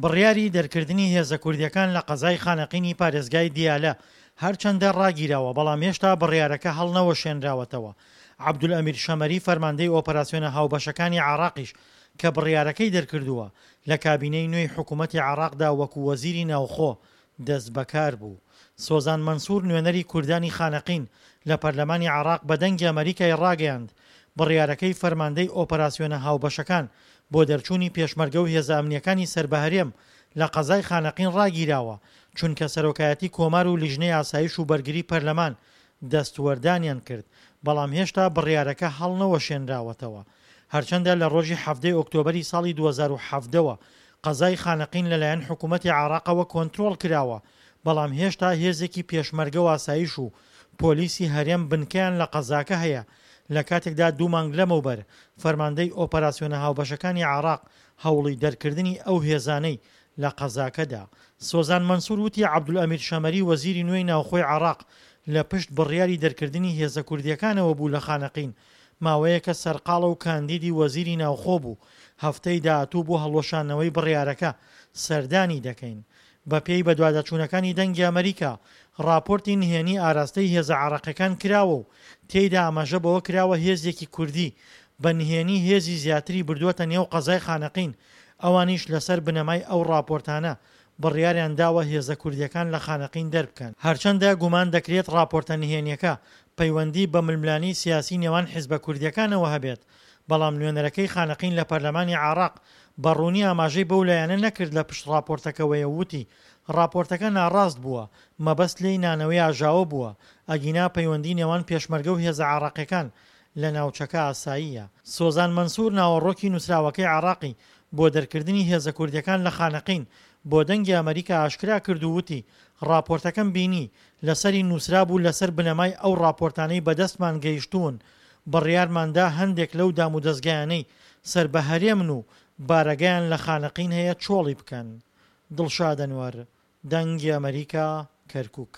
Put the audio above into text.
بڕیاری دەرکردنی هێزە کوردییەکان لە قەزای خانەقینی پارێزگای دیالە هەرچەندە ڕاگیراوە، بەڵام هێشتا بڕیارەکە هەڵنەوەشێنراوەتەوە. عەبدولئەمیر شەمەری فەرماندەی ئۆپەراسیۆنە هاوبەشەکانی عێراقیش کە بڕیارەکەی دەرکردووە، لە کابینەی نوێی حکومەتی عێراقدا وەکو وەزیری ناوخۆ دەستبەکار بوو. سۆزان مەنسوور نوێنەری کوردانی خانەقین لە پەرلەمانی عێراق بە دەنگی ئەمەریکای ڕاگەیاند، بڕیارەکەی فەرماندەی ئۆپەراسیۆنە هاوبەشەکان بۆ دەرچوونی پێشمەرگە و هێزە ئەمنییەکانی سەر بە هەرێم لە قەزای خانەقین ڕاگیراوە، چونکە سەرۆکایەتی کۆمار و لیژنەی ئاسایش و بەرگری پەرلەمان دەستوەردانیان کرد، بەڵام هێشتا بڕیارەکە هەڵنەوەشێنراوەتەوە. هەرچەندە لە ڕۆژی 17 ی ئۆکتۆبەری ساڵی 2017 وە قەزای خانەقین لەلایەن حکوومەتی عێراقەوە کۆنترۆڵ کراوە، بەڵام هێشتا هێزێکی پێشمەرگە و ئاسایش و پۆلیسی هەرێم بنکەیان لە قەزاکە هەیە، لە کاتێکدا دوو مانگ لەمەوبەر فەرماندەی ئۆپەراسیۆنە هاوبەشەکانی عێراق هەوڵی دەرکردنی ئەو هێزانەی لە قەزاکە دا. سۆزان مەنسور وتی عەبدولئەمیر شەمەری وەزیری نوێی ناوخۆی عێراق لە پشت بڕیاری دەرکردنی هێزە کوردییەکانەوە بوو لە خانەقین، ماوەیەکە سەرقاڵە و کاندیدی وەزیری ناوخۆ بوو، هەفتەی داهاتوو بۆ هەڵوەشاندنەوەی بڕیارەکە سەردانی دەکەین. بەپێی بەدواداچوونەکانی دەنگی ئەمەریکا، ڕاپۆرتی نهێنی ئاراستەی هێزە عێراقیەکان کراوە و تێیدا ئاماژە بەوە کراوە هێزێکی کوردی بە نهێنی هێزی زیاتری بردووەتە نێو قەزای خانەقین، ئەوانیش لەسەر بنەمای ئەو ڕاپۆرتانە بڕیاریان داوە هێزە کوردیەکان لە خانەقین دەربکەن. هەرچەندە گومان دەکرێت ڕاپۆرتە نهێنیەکە پەیوەندی بە ململانێی سیاسی نێوان حیزبە کوردیەکانەوە هەبێت، بەڵام نوێنەرەکەی خانەقین لە پەرلەمانی عێراق بە ڕوونی ئاماژەی بەو لایەنە نەکرد لە پشت ڕاپۆرتەکەوەیە و وتی، ڕاپۆرتەکە ناڕاست بووە، مەبەست لێی نانەوەی ئاژاوە بووە، ئەگینا پەیوەندی نێوان پێشمەرگە و هێزە عێراقیەکان لە ناوچەکە ئاساییە. سۆزان مەنسوور ناوەڕۆکی نووسراوەکەی عێراقی بۆ دەرکردنی هێزە کوردیەکان لە خانەقین بۆ دەنگی ئەمەریکا ئاشکرا کرد و وتی، ڕاپۆرتەکەم بینی، لەسەری نووسرابوو لەسەر بنەمای ئەو ڕاپۆرتانەی بەدەستمان گەیشتوون بڕیارمان دا هەندێک لەو دامودەزگایانەی سەر بە هەرێمن و بارەگایان لە خانەقین هەیە چۆڵی بکەن. دڵشاد ئەنوەر، دەنگی ئەمەریکا، کەرکوک.